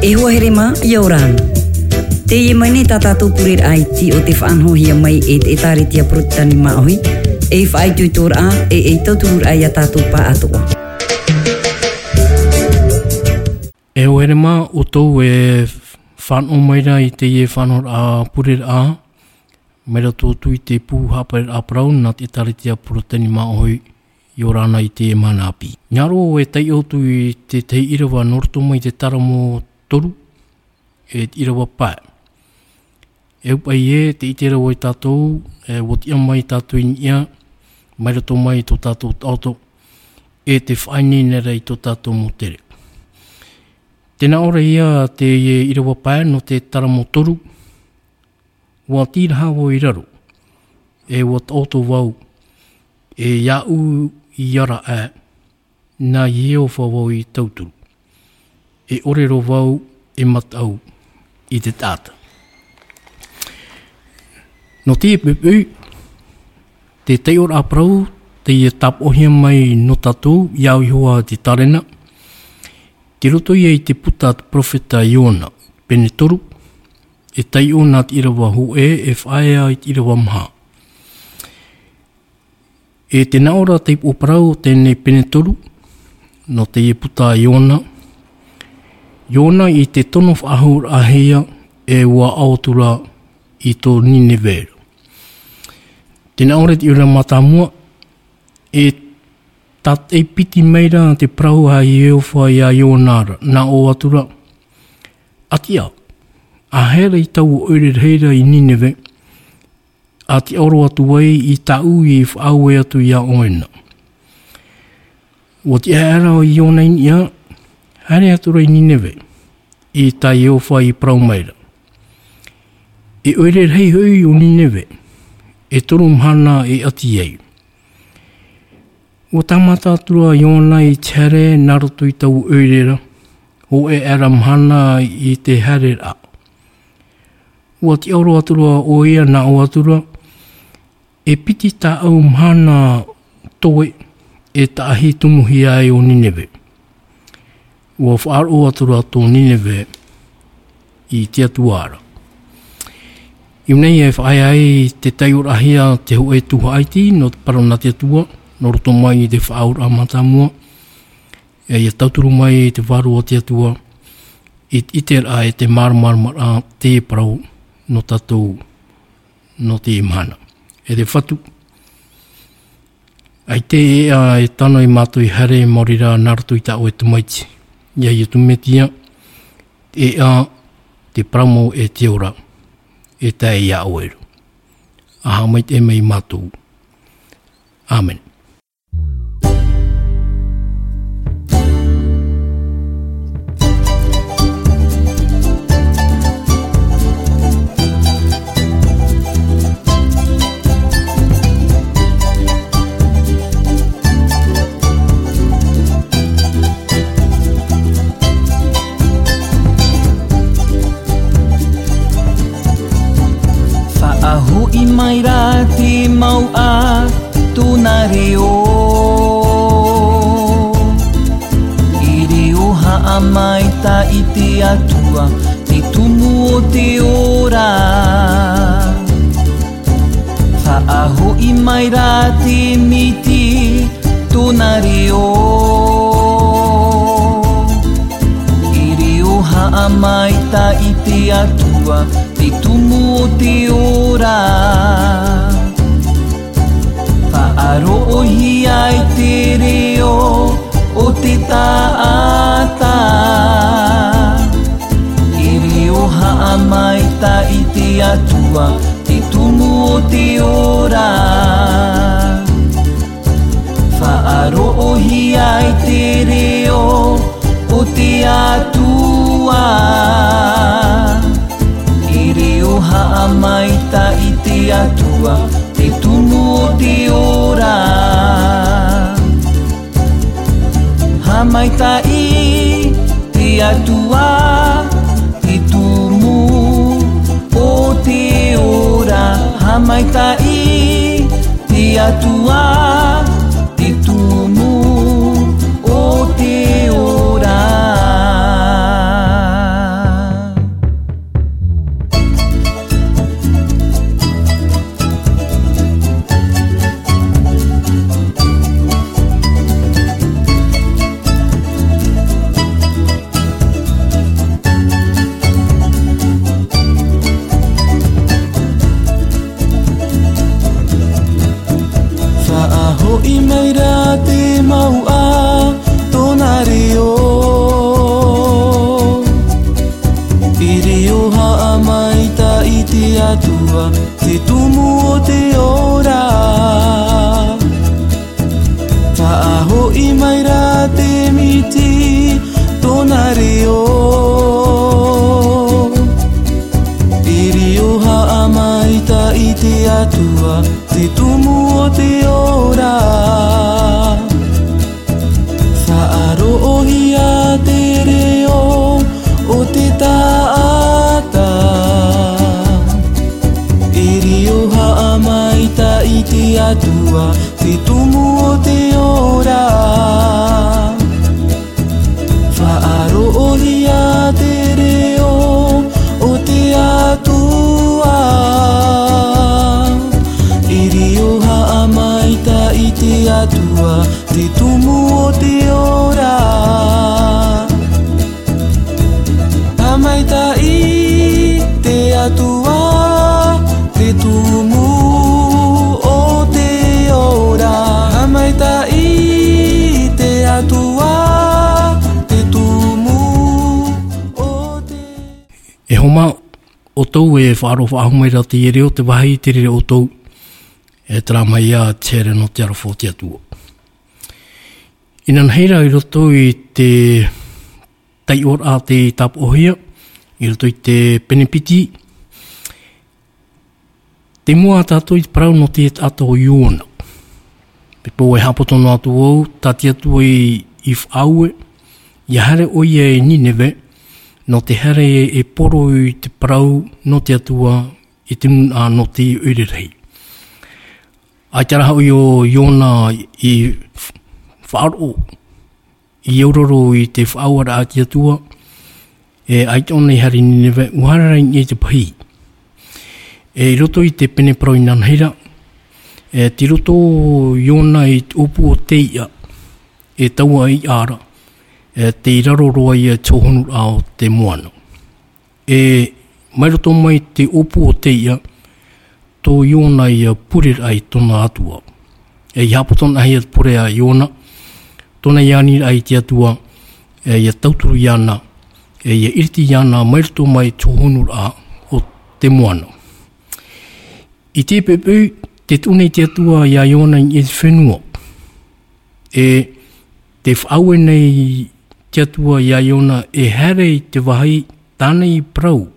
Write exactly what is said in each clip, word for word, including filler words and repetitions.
E hoa here mā, ʻia ora na. Teie mai nei tā tātou pureraʻa iti o tē faʻanahohia mai e te ʻĒtārētia Porotetani Māʻohi, ei faʻaitoitoraʻa, e ei tautururaʻa ia tātou pāʻatoʻa. E hoa here mā, ʻoutou e fānaʻo mai ra i teie faʻanahoraʻa pureraʻa, mai roto atu i te pū haʻapareraʻa parau nā te ʻĒtārētia Porotetani Māʻohi, ʻia ora na i teie mahana ʻāpī. Nā roto e taiʻo atu i te tahi ʻīrava nō roto mai i te Taramo toru, e te ʻīrava pae. E ʻaita paʻi ē, tē ʻite ra vau ia tātou, e, ʻua tiʻa mai tātou i niʻa, mai roto mai i tō tātou taʻoto, e tē faʻaineine ra i tō tātou mau tere. Tē nā ʻō ra ïa te ʻīrava pae nō te Taramo toru, ʻua tīraha vau i raro, e ʻua taʻoto vau, e iāʻu i ara aʻe, nā Iehova vau i tauturu. E ʻore roa vau e mataʻu i te taʻata. Nō teie poʻipoʻi, te taiʻoraʻa parau, teie tāpaʻohia mai nō tātou, iāʻu iho ā te tārena, tei roto ïa i te puta a te perofeta Iona, pene toru, e taiʻo nā te ʻīrava hōʻē, e faʻaea i te ʻīrava maha. E tē nā ʻō ra te upoʻo parau o teie pene toru, nō teie puta a Iona. Iona i te tono faʻahou-raʻa-hia, e ʻua ao atu ra i tō Nineve ra. Tē nā ʻō ra te ʻīrava mātāmua, e tātaʻi piti mai ra te parau a Iehova iā Iona ra, nā ʻō atu ra, ʻA tiʻa, ʻa haere i taua ʻoire rahi ra i Nineve, ʻa tiʻaoro atu ai i tāʻu i faʻaue atu iā ʻoe na. ʻUa tiʻa aʻera ʻo Iona i niʻa, haere atu ra i Nineve, i tā Iehova i parau mai ra. E ʻoire rahi hoʻi o Nineve, e toru mahana e ʻati ai. ʻUa tāmata atu ra Iona i te haere nā roto i taua ʻoire ra, hōʻē aʻera mahana i te haereraʻa. ʻUa tiʻaoro atu ra ʻoia nā ʻō atu ra, e piti tāʻau mahana toe e taʻahi tumuhia ai ʻo Nineve. ʻUa faʻaroʻo atu ra tō Nineve i te Atua ra. I ʻō nei e faʻaea ai te taiʻoraʻahia te hōʻē tuhaʻa iti nō te parau nā te Atua, nō roto mai i te Faʻaauraʻa mātāmua, e ʻia tauturu mai i te Vārua o te Atua, i te ʻiteraʻa e te māramaramaraʻa te parau nō tātou nō te mahana. E te Fatu, ʻaita e ʻeʻa e tano ia mātou i haere maori rā nā roto i tā ʻoe tamaiti. ʻIa Iesu Mesia, e ʻeʻa, te parau mau e te ora, e tae iā ʻoe ra. ʻA haʻamaitaʻi mai ia mātou. ʻĀmene. Faʻahoʻi mai rā te mau ʻā tōna reo. E reo haʻamaitaʻi te Atua, te tumu o te ora. Faʻahoʻi mai rā te miti tōna reo. E reo haʻamaitaʻi te Atua, te tumu o te ora. Faʻaroʻohia i te reo o te taʻata. E reo haʻamaitaʻi te Atua, te tumu o te ora. Faʻaroʻohia i te reo o te Atua. E reo haʻamaitaʻi te Atua, te tumu o te ora. Haʻamaitaʻi te Atua, te tumu o te ora. Haʻamaitaʻi te Atua, te tumu o te ora. E reo haʻamaitaʻi te Atua, te tumu o te ora. Faʻaroʻohia te reo o te taʻata. E reo haʻamaitaʻi te Atua, te tumu o te ora. Faʻaroʻohia te reo o te Atua. E reo haʻamaitaʻi te Atua, te tumu o te ora. Haʻamaitaʻi te Atua, te tumu o te ora. Haʻamaitaʻi te Atua, te tumu o te... E homa, ʻoutou e faʻaroʻo faʻahou mai ra te reo, te vāhi i te reira ʻoutou, e terā mai ia te here nō te aroha o te Atua. Inanahi ra i roto i te taiʻoraʻa tei tāpaʻohia, i roto i te pene piti, tei mua tātou i te parau nō te taʻata o Iona. Pea ʻua haʻapoto noa atu vau, tā te Atua i, i faʻaue, ʻia haere ʻoia i Nineve, nō te haere e poro i te parau nō te Atua i te nūnaʻa nō te ʻoire rahi. ʻAita rā hoʻi ʻo Iona i f-, faʻaroʻo, i auraro i te faʻaueraʻa a te Atua, e ʻaita ʻōna i haere i Nineve, ʻua haere rā i niʻa i te pahī. E i roto i te pene parau inanahi ra, e tei roto Iona i te ʻōpū o te iʻa, e taua iʻa ra, e tei raro roa ia i te hōhonuraʻa o te moana. E mai roto mai te ʻōpū o te iʻa, tō Iona ia pure ra i tōna Atua. E ʻia haʻapoto anaʻe ia te pure a Iona, tōna ia ani ra i te Atua, e ʻia tauturu iāna, e ʻia iriti iāna mai roto mai te hōhonuraʻa o te moana. I te poʻipoʻi, tē tuʻu nei te Atua ia Iona i niʻa i te fenua. E tē faʻaue nei te Atua ia Iona e haere i te vāhi tāna i parau.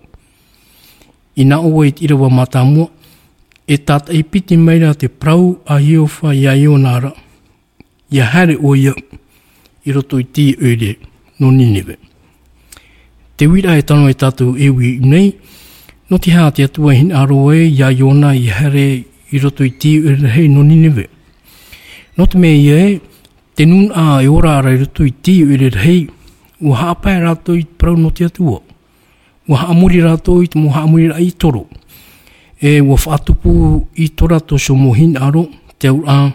Inaha i te ʻīrava mātāmua, e tātaʻi piti mai ra te parau a Iehova ia Iona ra, ʻia haere ʻoia i roto i te ʻoire nō Nineve. Te uiraʻa e tano e tātou e ui nei, nō te aha te Atua i hinaʻaro ai ia Iona ʻia haere i roto i te ʻoire rahi nō Nineve? Nō te mea ïa ē, te nūnaʻa e ora ra i roto i te ʻoire rahi, ʻua haʻapae rātou i te parau nō te Atua. ʻUa haʻamori rātou i te mau haʻamoriraʻa i toro. E ʻua faʻatupu i tō rātou mau hinaʻaro, te auraʻa,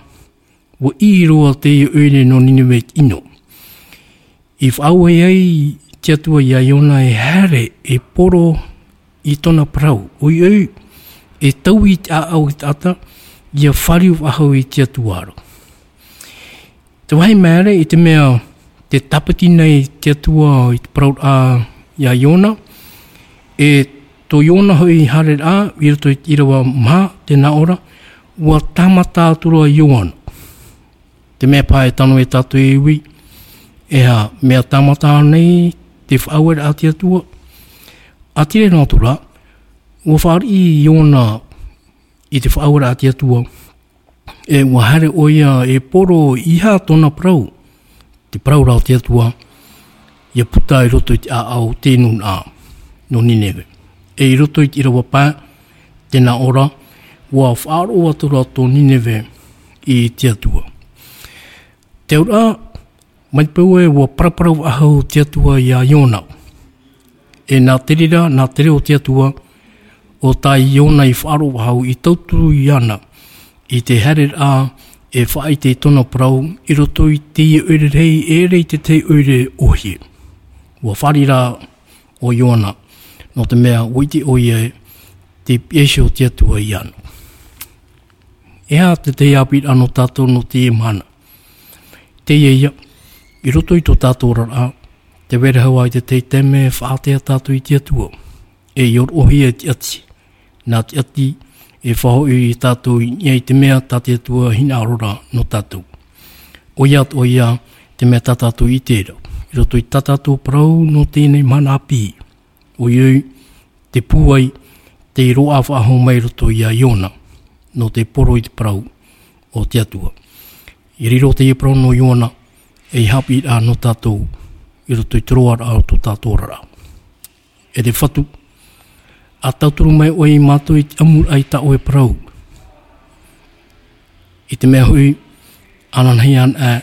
ʻua ʻī roa te ʻoire nō Nineve i te ʻino. I faʻaue ai te Atua ia Iona e haere e poro i tōna parau, ʻoiʻoi, e taui i te ʻāʻau i te taʻata, ʻia fāriu faʻahou i te Atua ra. Te vāhi maere, i te mea tē tāpiti nei te Atua i te parau ra ia Iona, e tō Iona hoʻi haereraʻa i roto i te ʻīrava maha, tē nā ʻō ra, ʻua tāmata atu ra Iona. Te mea paha e tano e tātou e ui, e aha, mea tāmata nei te faʻaueraʻa a te Atua? ʻĀtīrā noa atu ra, ʻua fāriʻi Iona i te faʻaueraʻa a te Atua, e ʻua haere ʻoia e poro i aha tōna parau, te parau ra o te Atua, ʻia puta i roto i te ʻāʻau o te nūnaʻa nō Nineve. E i roto i te ʻīrava pae, tē nā ʻō ra, ʻua faʻaroʻo atu ra tō Nineve i te Atua. Te auraʻa, mai te peu ē ʻua paraparau faʻahou te Atua ia Iona. E nā te reira, nā te reo o te Atua, ʻo tā Iona i faʻaroʻo faʻahou, i tauturu iāna i te haereraʻa e faʻaʻite i tōna parau i roto i te ʻoire rahi, e ʻere i te tahi ʻoire ʻōhie. ʻUa fāriʻi rā ʻo Iona, nō te mea ʻua ʻite ʻoia ē, tē pihaʻi iho te Atua iāna. E aha te tahi ʻāpīraʻa nō tātou nō teie mahana? Teie ïa, i roto i tō tātou oraraʻa, tē vai ra hoʻi te tahi taime e faʻaʻātea tātou i te Atua, e ʻia roʻohia e te ʻati, nā te ʻati e faʻahoʻi ia tātou i niʻa i te mea tā te Atua i hinaʻaro ra nō tātou. ʻOia atoʻa ïa te mea tā tātou i ʻite ra, i roto i tā tātou parau nō teie mahana ʻāpī. ʻOia hoʻi, te pūai, te roaʻa faʻahou mai i roto ia Iona, nō te poro i te parau o te Atua. I riro teie parau nō Iona, ei haʻapiʻiraʻa nō tātou, i roto i te roaraʻa o tō tātou oraraʻa. E te Fatu, ʻa tauturu mai ʻoe ia mātou i te ʻamuraʻa i tā ʻoe parau. I te mea hoʻi, ananahi anaʻe,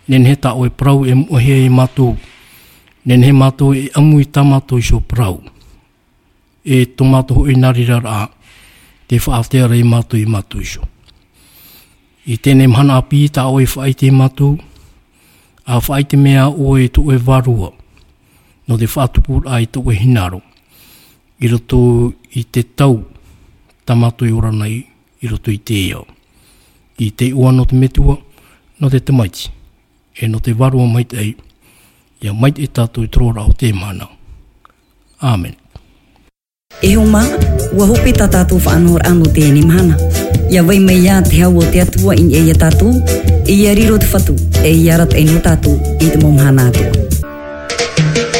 nehenehe tā ʻoe parau e moʻehia ia mātou, nehenehe mātou e ʻamu i tā mātou iho parau. E tō mātou hoʻi nā reira rā, te faʻaātea ra ia mātou ia mātou iho. I teie mahana ʻāpī tā ʻoe e faʻaʻite ia mātou, ʻa faʻaʻite mai ʻoe i tō ʻoe Vārua, nō te faʻatupuraʻa i tō ʻoe hinaʻaro, i roto i te tau, tā mātou e ora nei, i roto i te ao. I te iʻoa nō te Metua, nō te Tamaiti, e nō te Vārua Maitaʻi, ia maitaʻi tātou i te roaraʻa o teie mahana. ʻĀmene. E hoa mā, ʻua hope tā tātou faʻanahoraʻa nō teie mahana. ʻIa vai mai ā te hau o te Atua i niʻa ia tātou, ʻia riro te Fatu, e ʻia arataʻi nō tātou i te mau mahana atoʻa.